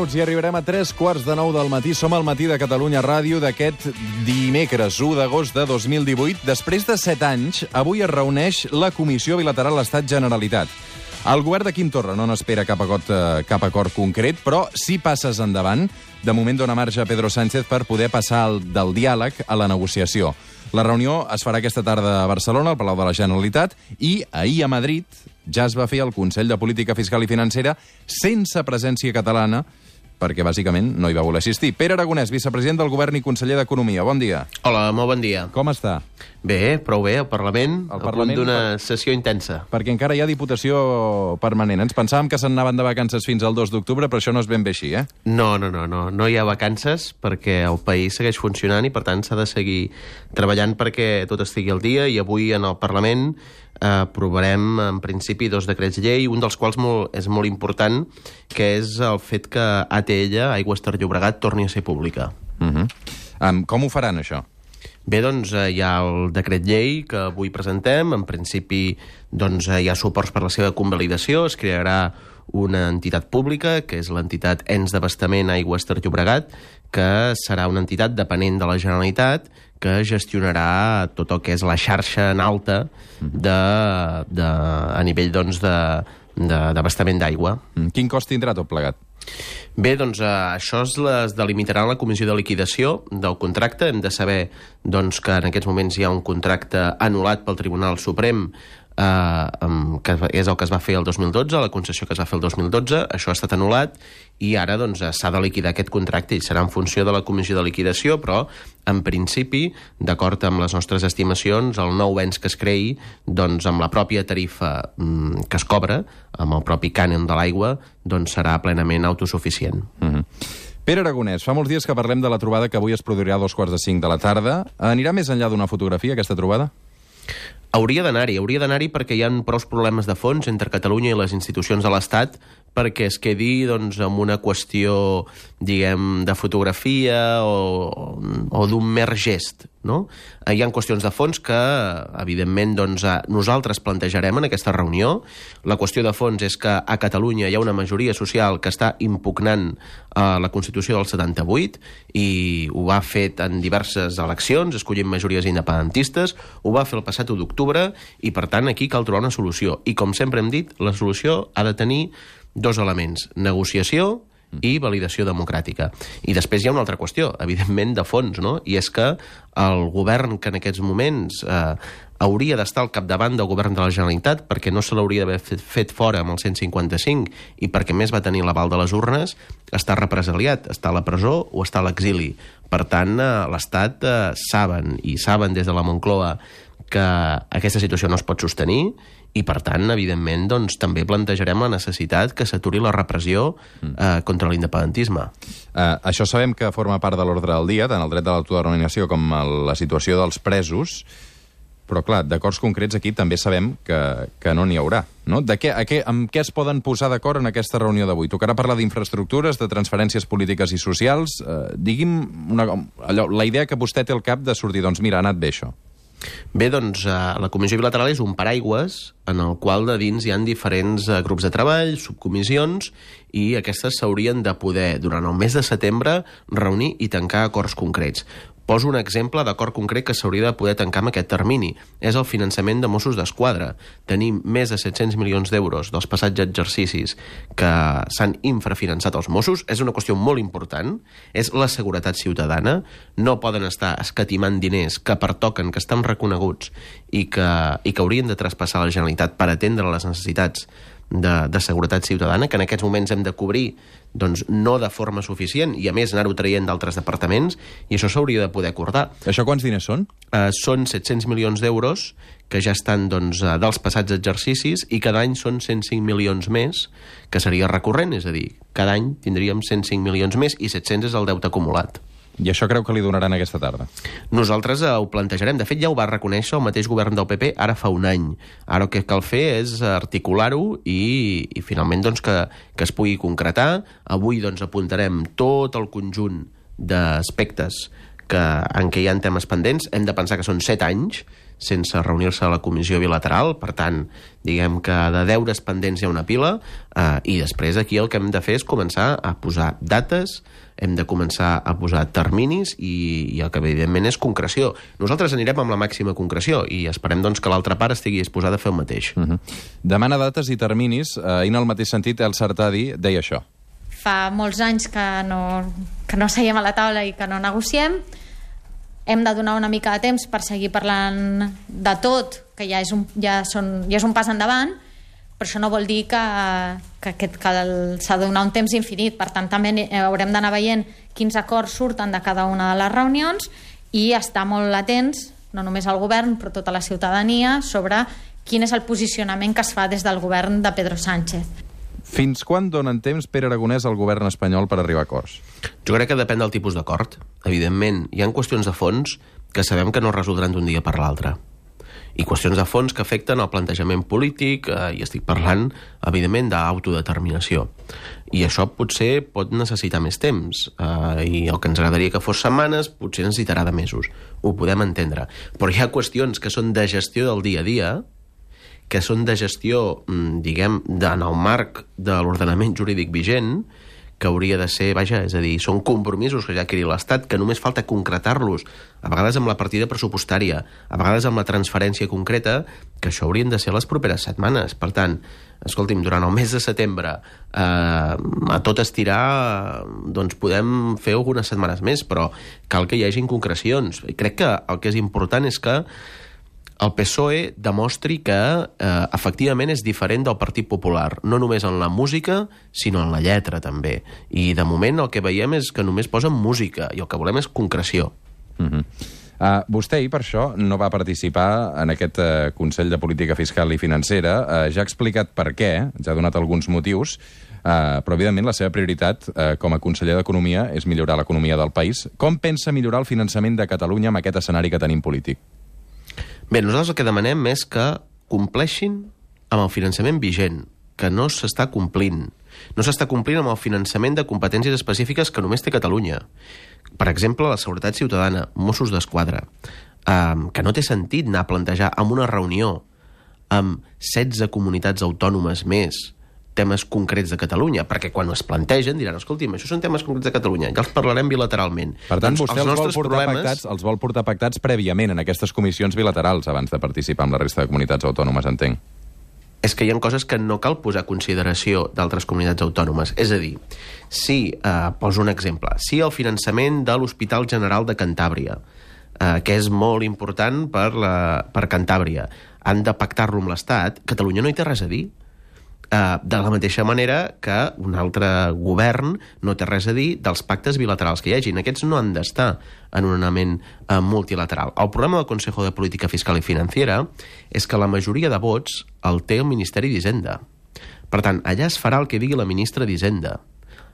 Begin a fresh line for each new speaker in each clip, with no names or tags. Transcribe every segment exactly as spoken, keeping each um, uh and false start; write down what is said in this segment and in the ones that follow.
minuts i arribarem a tres quarts de nou del matí. Som al Matí de Catalunya Ràdio d'aquest dimecres, u d'agost de dos mil divuit. Després de set anys, avui es reuneix la Comissió Bilateral Estat-Generalitat. El govern de Quim Torra no n'espera cap acord, eh, cap acord concret, però si passes endavant, de moment dona marge a Pedro Sánchez per poder passar el, del diàleg a la negociació. La reunió es farà aquesta tarda a Barcelona, al Palau de la Generalitat, i ahir a Madrid ja es va fer el Consell de Política Fiscal i Financera sense presència catalana, perquè bàsicament no hi va voler assistir. Pere Aragonès, vicepresident del Govern i conseller d'Economia. Bon dia.
Hola, molt bon dia.
Com està?
Bé, prou bé, al Parlament,
El
al
Parlament,
punt d'una
per-
sessió intensa.
Perquè encara hi ha diputació permanent. Ens pensàvem que se'n anaven de vacances fins al dos d'octubre, però això no és ben bé així, eh?
No, no, no, no, no hi ha vacances perquè el país segueix funcionant i, per tant, s'ha de seguir treballant perquè tot estigui al dia, i avui en el Parlament eh, aprovarem, en principi, dos decrets llei, un dels quals molt, és molt important, que és el fet que A T L, Aigües Ter Llobregat, torni a ser pública.
Uh -huh. um, com ho faran, això?
Bé, doncs eh, hi ha el decret llei que avui presentem. En principi, doncs, eh, hi ha suports per la seva convalidació. Es crearà una entitat pública, que és l'entitat Ens d'Abastament Aigües Ter Llobregat, que serà una entitat dependent de la Generalitat que gestionarà tot el que és la xarxa en alta de, de, a nivell doncs, de, de, d'abastament d'aigua.
Mm, Quin cost tindrà tot plegat?
Bé, doncs eh, això es, es delimitarà en la comissió de liquidació del contracte. Hem de saber doncs, que en aquests moments hi ha un contracte anul·lat pel Tribunal Suprem, eh, que és el que es va fer el dos mil dotze, la concessió que es va fer el dos mil dotze. Això ha estat anul·lat i ara doncs, s'ha de liquidar aquest contracte i serà en funció de la comissió de liquidació, però en principi, d'acord amb les nostres estimacions, el nou ens que es creï, doncs amb la pròpia tarifa mm, que es cobra, amb el propi cànon de l'aigua, doncs serà plenament autosuficient.
Uh -huh. Pere Aragonès, fa molts dies que parlem de la trobada que avui es produirà a dos quarts de cinc de la tarda. Anirà més enllà d'una fotografia, aquesta trobada?
Hauria d'anar-hi, hauria d'anar-hi perquè hi ha prou problemes de fons entre Catalunya i les institucions de l'Estat perquè es quedi doncs, amb una qüestió, diguem, de fotografia o, o d'un mer gest, no? Hi ha qüestions de fons que, evidentment, doncs, nosaltres plantejarem en aquesta reunió. La qüestió de fons és que a Catalunya hi ha una majoria social que està impugnant eh, la Constitució del setanta-vuit i ho ha fet en diverses eleccions, escollint majories independentistes, ho va fer el passat u d'octubre i, per tant, aquí cal trobar una solució. I, com sempre hem dit, la solució ha de tenir dos elements: negociació i validació democràtica. I després hi ha una altra qüestió, evidentment, de fons, no? I és que el govern que en aquests moments eh, hauria d'estar al capdavant del govern de la Generalitat, perquè no se l'hauria d'haver fet, fet fora amb el cent cinquanta-cinc i perquè més va tenir l'aval de les urnes, està represaliat, està a la presó o està a l'exili. Per tant, eh, l'Estat eh, saben, i saben des de la Moncloa, que aquesta situació no es pot sostenir i, per tant, evidentment, doncs, també plantejarem la necessitat que s'aturi la repressió eh, contra l'independentisme.
Uh, això sabem que forma part de l'ordre del dia, tant el dret de l'autodeterminació com el, la situació dels presos, però, clar, d'acords concrets aquí també sabem que, que no n'hi haurà, no? De què, a què, amb què es poden posar d'acord en aquesta reunió d'avui? Tocarà parlar d'infraestructures, de transferències polítiques i socials? Uh, digui'm una, allò, la idea que vostè té al cap de sortir, doncs mira, ha anat bé això.
Bé, doncs, eh, la Comissió Bilateral és un paraigües en el qual de dins hi ha diferents eh, grups de treball, subcomissions, i aquestes s'haurien de poder, durant el mes de setembre, reunir i tancar acords concrets. Poso un exemple d'acord concret que s'hauria de poder tancar amb aquest termini. És el finançament de Mossos d'Esquadra. Tenim més de set-cents milions d'euros dels passats exercicis que s'han infrafinançat els Mossos. És una qüestió molt important. És la seguretat ciutadana. No poden estar escatimant diners que pertoquen, que estan reconeguts i que, i que haurien de traspassar a la Generalitat per atendre les necessitats de, de seguretat ciutadana, que en aquests moments hem de cobrir, doncs, no de forma suficient, i a més anar-ho traient d'altres departaments, i això s'hauria de poder acordar.
Això quants diners són?
Uh, són set-cents milions d'euros que ja estan doncs, uh, dels passats exercicis, i cada any són cent cinc milions més, que seria recurrent, és a dir, cada any tindríem cent cinc milions més i set-cents és el deute acumulat.
I això creu que li donaran aquesta tarda?
Nosaltres eh, ho plantejarem. De fet, ja ho va reconèixer el mateix govern del P P ara fa un any. Ara el que cal fer és articular-ho i, i finalment doncs, que, que es pugui concretar. Avui doncs, apuntarem tot el conjunt d'aspectes que, en què hi ha temes pendents. Hem de pensar que són set anys sense reunir-se a la comissió bilateral, per tant, diguem que de deures pendents hi ha una pila, eh, i després aquí el que hem de fer és començar a posar dates, hem de començar a posar terminis i, i el que evidentment és concreció. Nosaltres anirem amb la màxima concreció i esperem doncs, que l'altra part estigui disposada a fer el mateix.
Uh-huh. Demana dates i terminis, eh, i en el mateix sentit el Sartadi deia això.
Fa molts anys que no, que no seiem a la taula i que no negociem. Hem de donar una mica de temps per seguir parlant de tot, que ja és un, ja són, ja és un pas endavant, però això no vol dir que, que, que, que s'ha de donar un temps infinit. Per tant, també haurem d'anar veient quins acords surten de cada una de les reunions i estar molt atents, no només al govern, però tota la ciutadania, sobre quin és el posicionament que es fa des del govern de Pedro Sánchez.
Fins quan donen temps Pere Aragonès al govern espanyol per arribar a acords?
Jo crec que depèn del tipus d'acord. Evidentment, hi ha qüestions de fons que sabem que no es resoldran d'un dia per l'altre. I qüestions de fons que afecten el plantejament polític, eh, i estic parlant, evidentment, d'autodeterminació. I això potser pot necessitar més temps, eh, i el que ens agradaria que fos setmanes potser necessitarà de mesos. Ho podem entendre. Però hi ha qüestions que són de gestió del dia a dia, que són de gestió, diguem, en el marc de l'ordenament jurídic vigent, que hauria de ser, vaja, és a dir, són compromisos que ja adquirit l'Estat, que només falta concretar-los, a vegades amb la partida pressupostària, a vegades amb la transferència concreta, que això haurien de ser les properes setmanes. Per tant, escolti'm, durant el mes de setembre, eh, a tot estirar, doncs podem fer algunes setmanes més, però cal que hi hagi concrecions. I crec que el que és important és que el P S O E demostri que eh, efectivament és diferent del Partit Popular, no només en la música, sinó en la lletra també. I de moment el que veiem és que només posen música i el que volem és concreció.
Uh-huh. uh, vostè ahir per això no va participar en aquest uh, Consell de Política Fiscal i Financera. Uh, ja ha explicat per què, ja ha donat alguns motius, uh, però evidentment la seva prioritat uh, com a conseller d'Economia és millorar l'economia del país. Com pensa millorar el finançament de Catalunya amb aquest escenari que tenim polític?
Bé, nosaltres el que demanem és que compleixin amb el finançament vigent, que no s'està complint. No s'està complint amb el finançament de competències específiques que només té Catalunya. Per exemple, la seguretat ciutadana, Mossos d'Esquadra, eh, que no té sentit anar a plantejar en una reunió amb setze comunitats autònomes més temes concrets de Catalunya, perquè quan es plantegen diran, escolti'm, això són temes concrets de Catalunya, ja els parlarem bilateralment.
Per tant,
doncs
vostè els, els, vol portar
problemes...
pactats, els vol portar pactats prèviament en aquestes comissions bilaterals abans de participar amb la resta de comunitats autònomes, entenc.
És que hi ha coses que no cal posar a consideració d'altres comunitats autònomes. És a dir, si, eh, poso un exemple, si el finançament de l'Hospital General de Cantàbria, eh, que és molt important per, la, per Cantàbria, han de pactar-lo amb l'Estat, Catalunya no hi té res a dir. Uh, de la mateixa manera que un altre govern no té res a dir dels pactes bilaterals que hi hagin. Aquests no han d'estar en un ordenament uh, multilateral. El problema del Consejo de Política Fiscal i Financiera és que la majoria de vots el té el Ministeri d'Hisenda. Per tant, allà es farà el que digui la ministra d'Hisenda.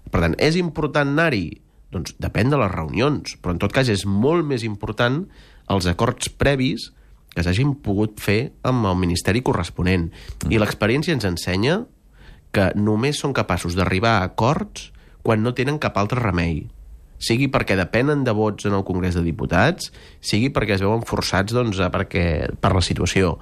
Per tant, és important anar-hi? Doncs depèn de les reunions, però en tot cas és molt més important els acords previs que s'hagin pogut fer amb el ministeri corresponent. I l'experiència ens ensenya que només són capaços d'arribar a acords quan no tenen cap altre remei. Sigui perquè depenen de vots en el Congrés de Diputats, sigui perquè es veuen forçats doncs, perquè, per la situació.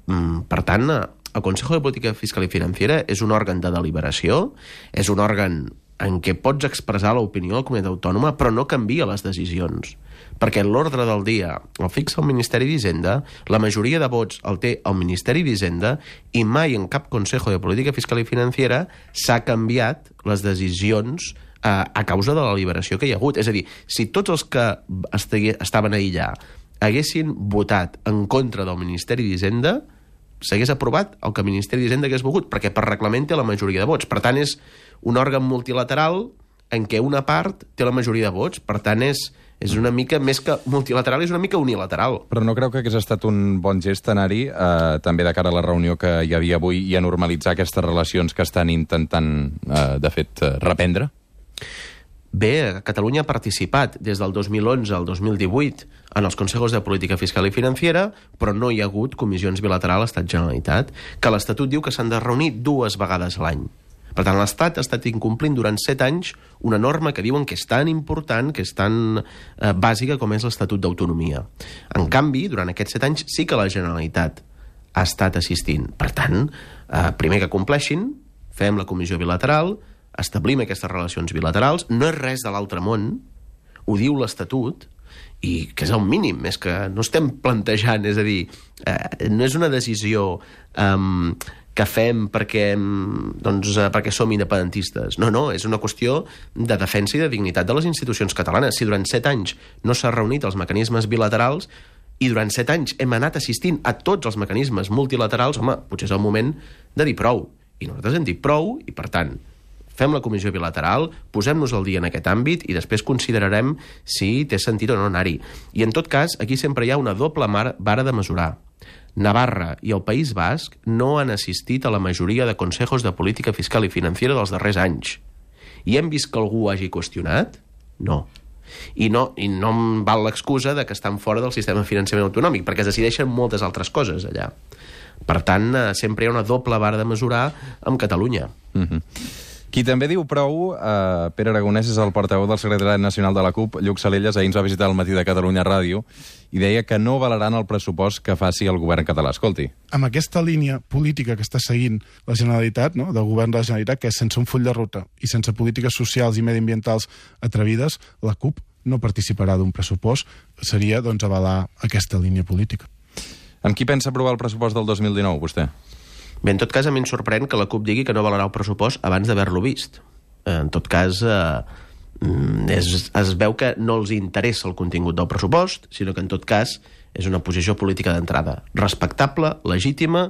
Per tant, el Consejo de Política Fiscal i Financiera és un òrgan de deliberació, és un òrgan en què pots expressar l'opinió de la comunitat autònoma, però no canvia les decisions. Perquè l'ordre del dia el fixa el Ministeri d'Hisenda, la majoria de vots el té el Ministeri d'Hisenda i mai en cap Consejo de Política Fiscal i Financiera s'ha canviat les decisions eh, a causa de la liberació que hi ha hagut. És a dir, si tots els que estaven allà haguessin votat en contra del Ministeri d'Hisenda, s'hagués aprovat el que el Ministeri d'Hisenda hagués volgut, perquè per reglament té la majoria de vots. Per tant, és un òrgan multilateral en què una part té la majoria de vots. Per tant, és, és una mica, més que multilateral, és una mica unilateral.
Però no creu que hagués estat un bon gest anar-hi, eh, també de cara a la reunió que hi havia avui, i a normalitzar aquestes relacions que estan intentant, eh, de fet, reprendre?
Bé, Catalunya ha participat des del dos mil onze al dos mil divuit en els Consejos de Política Fiscal i Financiera, però no hi ha hagut comissions bilaterals Estat-Generalitat, que l'Estatut diu que s'han de reunir dues vegades l'any. Per tant, l'Estat ha estat incomplint durant set anys una norma que diuen que és tan important, que és tan eh, bàsica com és l'Estatut d'Autonomia. En canvi, durant aquests set anys sí que la Generalitat ha estat assistint. Per tant, eh, primer que compleixin, fem la comissió bilateral, establim aquestes relacions bilaterals, no és res de l'altre món, ho diu l'Estatut, i que és el mínim, és que no estem plantejant, és a dir, eh, no és una decisió eh, que fem perquè, doncs, perquè som independentistes. No, no, és una qüestió de defensa i de dignitat de les institucions catalanes. Si durant set anys no s'ha reunit els mecanismes bilaterals i durant set anys hem anat assistint a tots els mecanismes multilaterals, home, potser és el moment de dir prou. I nosaltres hem dit prou i, per tant, fem la comissió bilateral, posem-nos al dia en aquest àmbit i després considerarem si té sentit o no anar-hi. I, en tot cas, aquí sempre hi ha una doble vara de mesurar. Navarra i el País Basc no han assistit a la majoria de consejos de política fiscal i financera dels darrers anys. I hem vist que algú hagi qüestionat? No. I no, i no em val l'excusa de que estan fora del sistema de finançament autonòmic, perquè es decideixen moltes altres coses allà. Per tant, sempre hi ha una doble vara de mesurar amb Catalunya.
Mm-hmm. Qui també diu prou, eh, Pere Aragonès, és el portaveu del secretari nacional de la CUP, Lluc Salellas. Ahir ens va visitar al Matí de Catalunya Ràdio i deia que no valeran el pressupost que faci el govern català. Escolti.
Amb aquesta línia política que està seguint la Generalitat, no?, del govern de la Generalitat, que és sense un full de ruta i sense polítiques socials i mediambientals atrevides, la CUP no participarà d'un pressupost. Seria, doncs, avalar aquesta línia política.
Amb qui pensa aprovar el pressupost del dos mil dinou, vostè?
Bé, en tot cas, a mi em sorprèn que la CUP digui que no valerà el pressupost abans d'haver-lo vist. En tot cas, eh, és, es veu que no els interessa el contingut del pressupost, sinó que, en tot cas, és una posició política d'entrada respectable, legítima,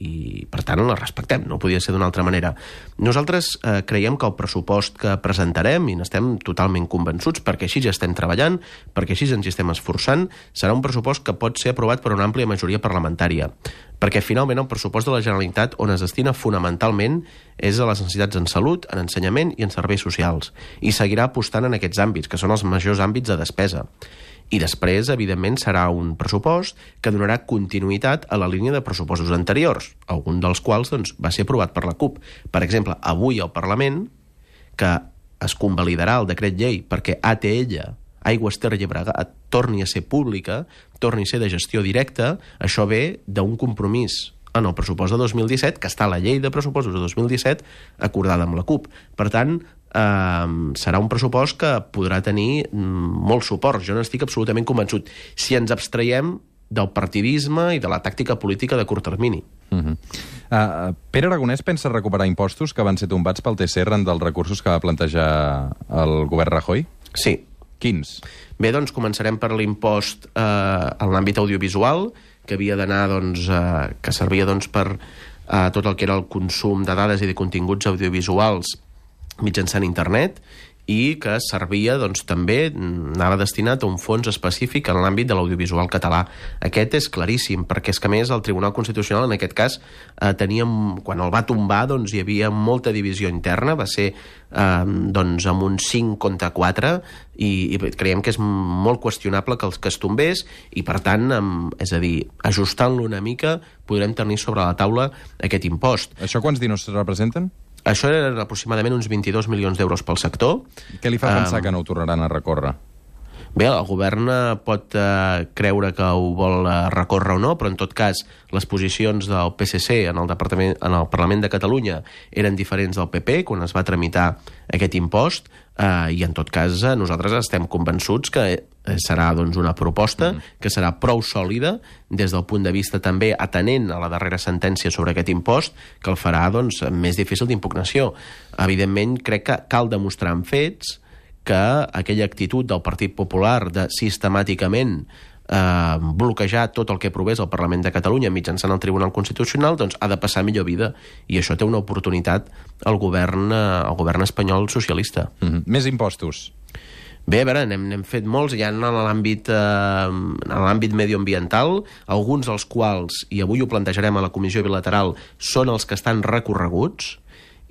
i, per tant, la respectem, no podia ser d'una altra manera. Nosaltres eh, creiem que el pressupost que presentarem, i n'estem totalment convençuts, perquè així ja estem treballant, perquè així ens hi estem esforçant, serà un pressupost que pot ser aprovat per una àmplia majoria parlamentària, perquè finalment el pressupost de la Generalitat on es destina fonamentalment és a les necessitats en salut, en ensenyament i en serveis socials, i seguirà apostant en aquests àmbits, que són els majors àmbits de despesa. I després, evidentment, serà un pressupost que donarà continuïtat a la línia de pressupostos anteriors, algun dels quals doncs, va ser aprovat per la CUP. Per exemple, avui al Parlament, que es convalidarà el decret llei perquè A T L, Aigües Ter Llobregat, torni a ser pública, torni a ser de gestió directa, això ve d'un compromís en el pressupost de dos mil disset, que està a la llei de pressupostos de dos mil disset, acordada amb la CUP. Per tant, eh, serà un pressupost que podrà tenir molt suport. Jo n'estic absolutament convençut. Si ens abstraiem del partidisme i de la tàctica política de curt termini.
Uh-huh. uh, Pere Aragonès pensa recuperar impostos que van ser tombats pel T C arran dels recursos que va plantejar el govern Rajoy?
Sí.
Quins?
Bé, doncs començarem per l'impost eh, en l'àmbit audiovisual, que havia d'anar, doncs, eh, que servia doncs, per eh, tot el que era el consum de dades i de continguts audiovisuals mitjançant internet, i que servia, doncs, també, anava destinat a un fons específic en l'àmbit de l'audiovisual català. Aquest és claríssim, perquè és que, a més, el Tribunal Constitucional, en aquest cas, eh, teníem, quan el va tombar, doncs, hi havia molta divisió interna, va ser, eh, doncs, amb un cinc contra quatre, i, i creiem que és molt qüestionable que, els, que es tombés, i, per tant, amb, és a dir, ajustant-lo una mica, podrem tenir sobre la taula aquest impost.
Això quants diners representen?
Això eren aproximadament uns vint-i-dos milions d'euros pel sector.
Què li fa pensar
um,
que no ho tornaran a recórrer?
Bé, el govern pot eh, creure que ho vol eh, recórrer o no, però en tot cas les posicions del P S C en el, Departament, en el Parlament de Catalunya eren diferents del P P quan es va tramitar aquest impost, eh, i en tot cas eh, nosaltres estem convençuts que eh, serà doncs, una proposta mm. que serà prou sòlida des del punt de vista també atenent a la darrera sentència sobre aquest impost, que el farà doncs, més difícil d'impugnació. Evidentment, crec que cal demostrar amb fets que aquella actitud del Partit Popular de sistemàticament eh, bloquejar tot el que provés al Parlament de Catalunya mitjançant el Tribunal Constitucional, doncs ha de passar millor vida, i això té una oportunitat al govern, eh, al govern espanyol socialista.
Mm-hmm. Més impostos.
Bé, a veure, n'hem, n'hem fet molts, ja en l'àmbit eh, en l'àmbit mediambiental, alguns dels quals, i avui ho plantejarem a la comissió bilateral, són els que estan recorreguts,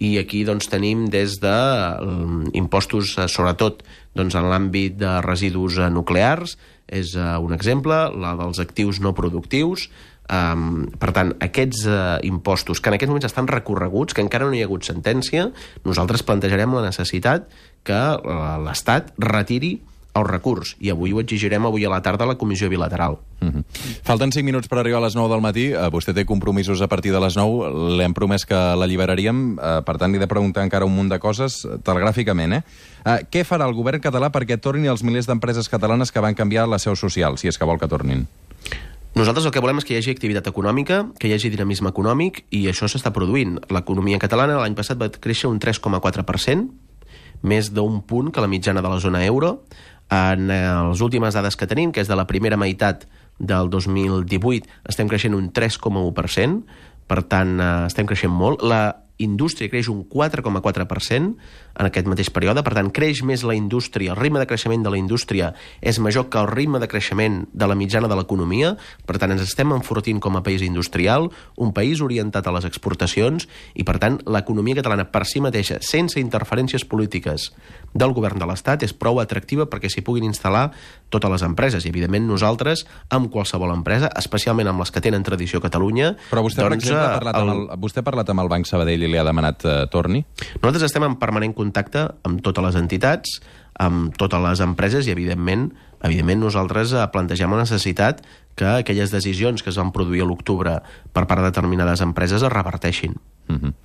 i aquí doncs, tenim des de um, impostos, uh, sobretot doncs, en l'àmbit de residus uh, nuclears, és uh, un exemple, la dels actius no productius, Um, per tant, aquests uh, impostos, que en aquests moments estan recorreguts, que encara no hi ha hagut sentència, nosaltres plantejarem la necessitat que uh, l'Estat retiri el recurs, i avui ho exigirem avui a la tarda a la comissió bilateral.
Mm-hmm. Falten cinc minuts per arribar a les nou del matí. Uh, vostè té compromisos a partir de les nou. L'hem promès que l'alliberaríem, uh, per tant li he de preguntar encara un munt de coses telegràficament. Eh? Uh, què farà el govern català perquè tornin els milers d'empreses catalanes que van canviar la seu social, si és que vol que tornin?
Nosaltres el que volem és que hi hagi activitat econòmica, que hi hagi dinamisme econòmic, i això s'està produint. L'economia catalana l'any passat va créixer un tres coma quatre per cent, més d'un punt que la mitjana de la zona euro. En les últimes dades que tenim, que és de la primera meitat del dos mil divuit, estem creixent un tres coma u per cent, per tant, estem creixent molt. La indústria creix un quatre coma quatre per cent en aquest mateix període, per tant, creix més la indústria, el ritme de creixement de la indústria és major que el ritme de creixement de la mitjana de l'economia, per tant, ens estem enfortint com a país industrial, un país orientat a les exportacions, i, per tant, l'economia catalana per si mateixa, sense interferències polítiques del govern de l'Estat, és prou atractiva perquè s'hi puguin instal·lar totes les empreses, i, evidentment, nosaltres, amb qualsevol empresa, especialment amb les que tenen tradició a Catalunya...
Però vostè,
doncs,
per exemple, ha parlat, el... amb el, vostè ha parlat amb el Banc Sabadell i li ha demanat uh, torni?
Nosaltres estem en permanent contacte amb totes les entitats, amb totes les empreses, i, evidentment, evidentment nosaltres plantegem la necessitat que aquelles decisions que es van produir a l'octubre per part de determinades empreses es reverteixin.
Mm-hmm.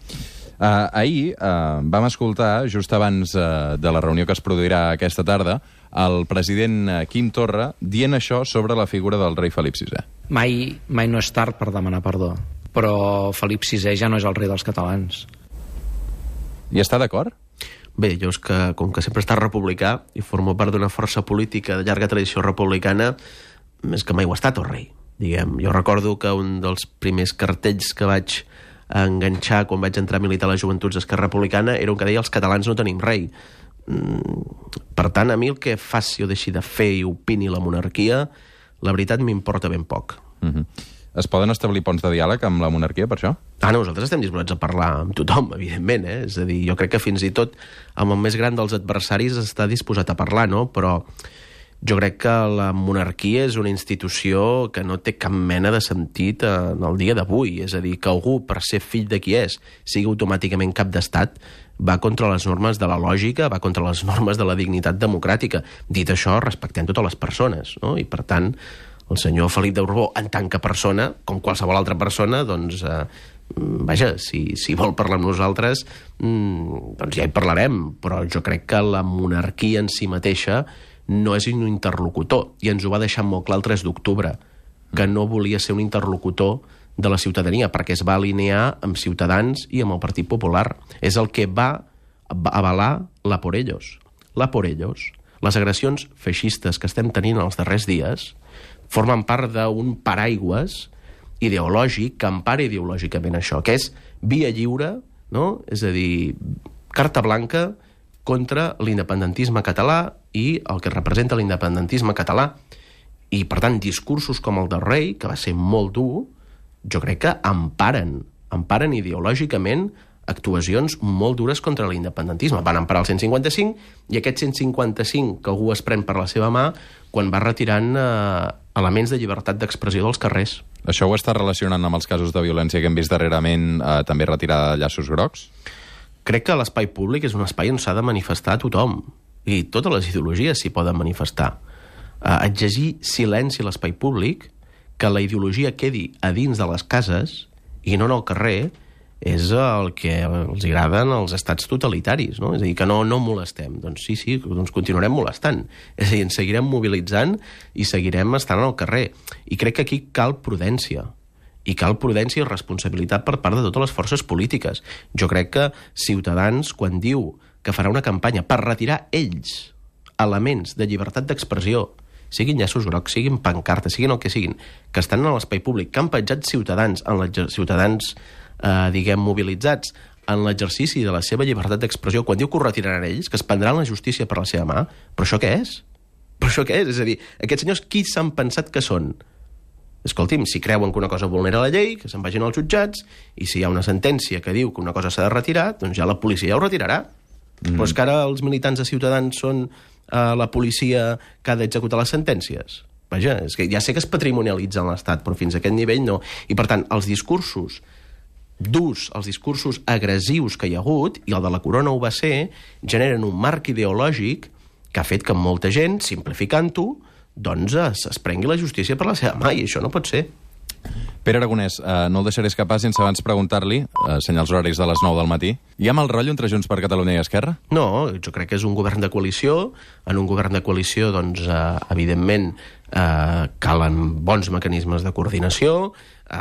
Uh, ahir uh, vam escoltar, just abans uh, de la reunió que es produirà aquesta tarda, el president uh, Quim Torra dient això sobre la figura del rei Felip sisè.
Mai, mai no és tard per demanar perdó, però Felip sisè ja no és el rei dels catalans.
I està d'acord?
Bé, jo és que, com que sempre he estat republicà i formo part d'una força política de llarga tradició republicana, és que mai ho ha estat el rei, diguem. Jo recordo que un dels primers cartells que vaig enganxar quan vaig entrar a militar a les joventuts d'Esquerra Republicana era un que deia els catalans no tenim rei. Per tant, a mi el que faci o deixi de fer i opini la monarquia, la veritat m'importa ben poc.
Mm-hmm. Es poden establir ponts de diàleg amb la monarquia, per això?
Ah, no, nosaltres estem disposats a parlar amb tothom, evidentment, eh? És a dir, jo crec que fins i tot amb el més gran dels adversaris està disposat a parlar, no? Però jo crec que la monarquia és una institució que no té cap mena de sentit en el dia d'avui. És a dir, que algú, per ser fill de qui és, sigui automàticament cap d'estat, va contra les normes de la lògica, va contra les normes de la dignitat democràtica. Dit això, respectem totes les persones, no? I, per tant, el senyor Felip de Borbó, en tant que persona, com qualsevol altra persona, doncs, eh, vaja, si, si vol parlar amb nosaltres, mm, doncs ja hi parlarem, però jo crec que la monarquia en si mateixa no és un interlocutor, i ens ho va deixar molt clar el tres d'octubre, que no volia ser un interlocutor de la ciutadania, perquè es va alinear amb Ciutadans i amb el Partit Popular. És el que va avalar la por ellos. La por ellos. Les agressions feixistes que estem tenint els darrers dies formen part d'un paraigües ideològic que empara ideològicament això, que és via lliure, no? És a dir, carta blanca contra l'independentisme català i el que representa l'independentisme català. I, per tant, discursos com el del rei, que va ser molt dur, jo crec que emparen, emparen ideològicament actuacions molt dures contra l'independentisme. Van emparar el cent cinquanta-cinc, i aquest cent cinquanta-cinc que algú es pren per la seva mà quan va retirant eh, elements de llibertat d'expressió dels carrers.
Això ho està relacionant amb els casos de violència que hem vist darrerament, eh, també retirar llaços grocs?
Crec que l'espai públic és un espai on s'ha de manifestar a tothom, i totes les ideologies s'hi poden manifestar. Eh, exigir silenci a l'espai públic, que la ideologia quedi a dins de les cases i no en el carrer, és el que els agraden els estats totalitaris, no? És a dir, que no, no molestem. Doncs sí, sí, doncs continuarem molestant. És a dir, ens seguirem mobilitzant i seguirem estant al carrer. I crec que aquí cal prudència. I cal prudència i responsabilitat per part de totes les forces polítiques. Jo crec que Ciutadans, quan diu que farà una campanya per retirar ells elements de llibertat d'expressió, siguin llaços grocs, siguin pancartes, siguin el que siguin, que estan en l'espai públic, que han petjat ciutadans, en ciutadans eh, diguem, mobilitzats en l'exercici de la seva llibertat d'expressió, quan diu que ho retiraran ells, que es prendran la justícia per la seva mà, però això què és? Però això què és? És a dir, aquests senyors qui s'han pensat que són? Escolti'm, si creuen que una cosa vulnera la llei, que se'n vagin als jutjats, i si hi ha una sentència que diu que una cosa s'ha de retirar, doncs ja la policia ja ho retirarà. Mm. Però és que ara els militants de Ciutadans són eh, la policia que ha d'executar les sentències. Vaja, és que ja sé que es patrimonialitza en l'Estat, però fins a aquest nivell no. I, per tant, els discursos durs, els discursos agressius que hi ha hagut, i el de la Corona ho va ser, generen un marc ideològic que ha fet que molta gent, simplificant-ho, doncs es, es prengui la justícia per la seva mà, i això no pot ser.
Pere Aragonès, eh, no el deixaré escapar sense abans preguntar-li, eh, senyals horaris de les nou del matí, hi ha mal rotllo entre Junts per Catalunya i Esquerra?
No, jo crec que és un govern de coalició. En un govern de coalició, doncs, eh, evidentment, eh, calen bons mecanismes de coordinació. Eh,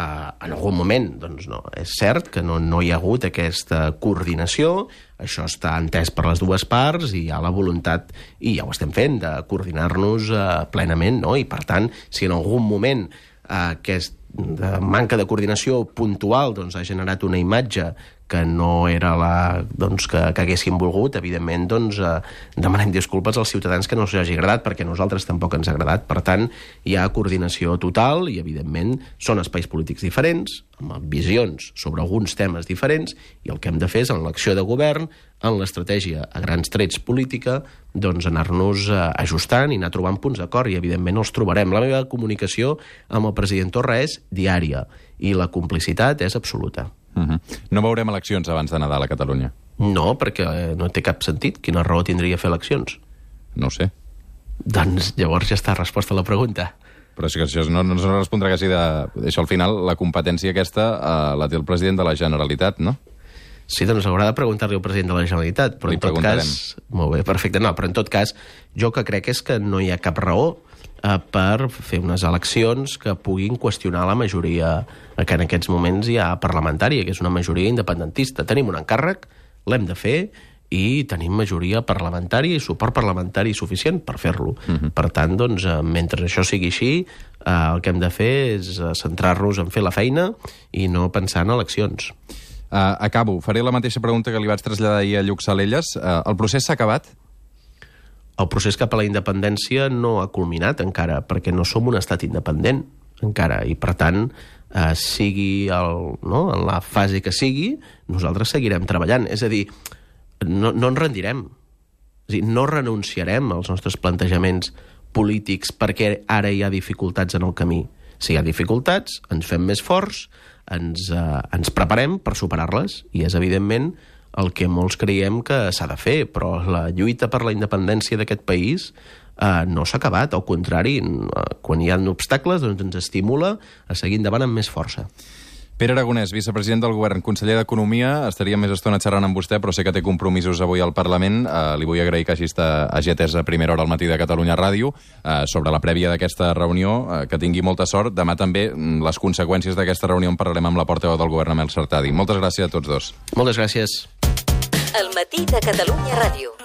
en algun moment, doncs no, és cert que no, no hi ha hagut aquesta coordinació. Això està entès per les dues parts i hi ha la voluntat, i ja ho estem fent, de coordinar-nos eh, plenament, no? I, per tant, si en algun moment eh, aquest de manca de coordinació puntual doncs, ha generat una imatge que no era la doncs, que, que haguéssim volgut, evidentment doncs, eh, demanem disculpes als ciutadans que no us hagi agradat, perquè a nosaltres tampoc ens ha agradat. Per tant, hi ha coordinació total i, evidentment, són espais polítics diferents, amb visions sobre alguns temes diferents, i el que hem de fer és, en l'acció de govern, en l'estratègia a grans trets política, doncs anar-nos eh, ajustant i anar trobant punts d'acord, i, evidentment, els trobarem. La meva comunicació amb el president Torra és diària, i la complicitat és absoluta.
Uh-huh. No veurem eleccions abans de Nadal a Catalunya?
No, perquè no té cap sentit. Quina raó tindria fer eleccions?
No ho sé.
Doncs llavors ja està resposta a la pregunta.
Però és que això no, no es respondrà quasi de... Això al final, la competència aquesta eh, la té el president de la Generalitat, no?
Sí, doncs haurà de preguntar-li al president de la Generalitat, però
Li
en tot cas... Molt bé, perfecte. No, però en tot cas, jo que crec és que no hi ha cap raó eh, per fer unes eleccions que puguin qüestionar la majoria que en aquests moments hi ha parlamentària, que és una majoria independentista. Tenim un encàrrec, l'hem de fer, i tenim majoria parlamentària i suport parlamentari suficient per fer-lo. Uh-huh. Per tant, doncs, mentre això sigui així, eh, el que hem de fer és centrar-nos en fer la feina i no pensar en eleccions.
Uh, acabo. Faré la mateixa pregunta que li vaig traslladar ahir a Lluc Salelles. Uh, el procés s'ha acabat?
El procés cap a la independència no ha culminat encara, perquè no som un estat independent encara, i per tant, eh, sigui el, no, en la fase que sigui, nosaltres seguirem treballant. És a dir, no, no ens rendirem. És a dir, no renunciarem als nostres plantejaments polítics perquè ara hi ha dificultats en el camí. Si hi ha dificultats, ens fem més forts, ens, eh, ens preparem per superar-les, i és evidentment el que molts creiem que s'ha de fer, però la lluita per la independència d'aquest país eh, no s'ha acabat, al contrari, eh, quan hi ha obstacles doncs ens estimula a seguir endavant amb més força.
Pere Aragonès, vicepresident del Govern, conseller d'Economia, estaria més estona xerrant amb vostè, però sé que té compromisos avui al Parlament. Eh, li vull agrair que hagi, estat, hagi atès a primera hora al matí de Catalunya Ràdio. Eh, sobre la prèvia d'aquesta reunió, eh, que tingui molta sort. Demà també les conseqüències d'aquesta reunió en parlarem amb la portaveu del Govern, Amel Sartadi. Moltes gràcies a tots dos.
Moltes gràcies.
El matí de Catalunya Ràdio.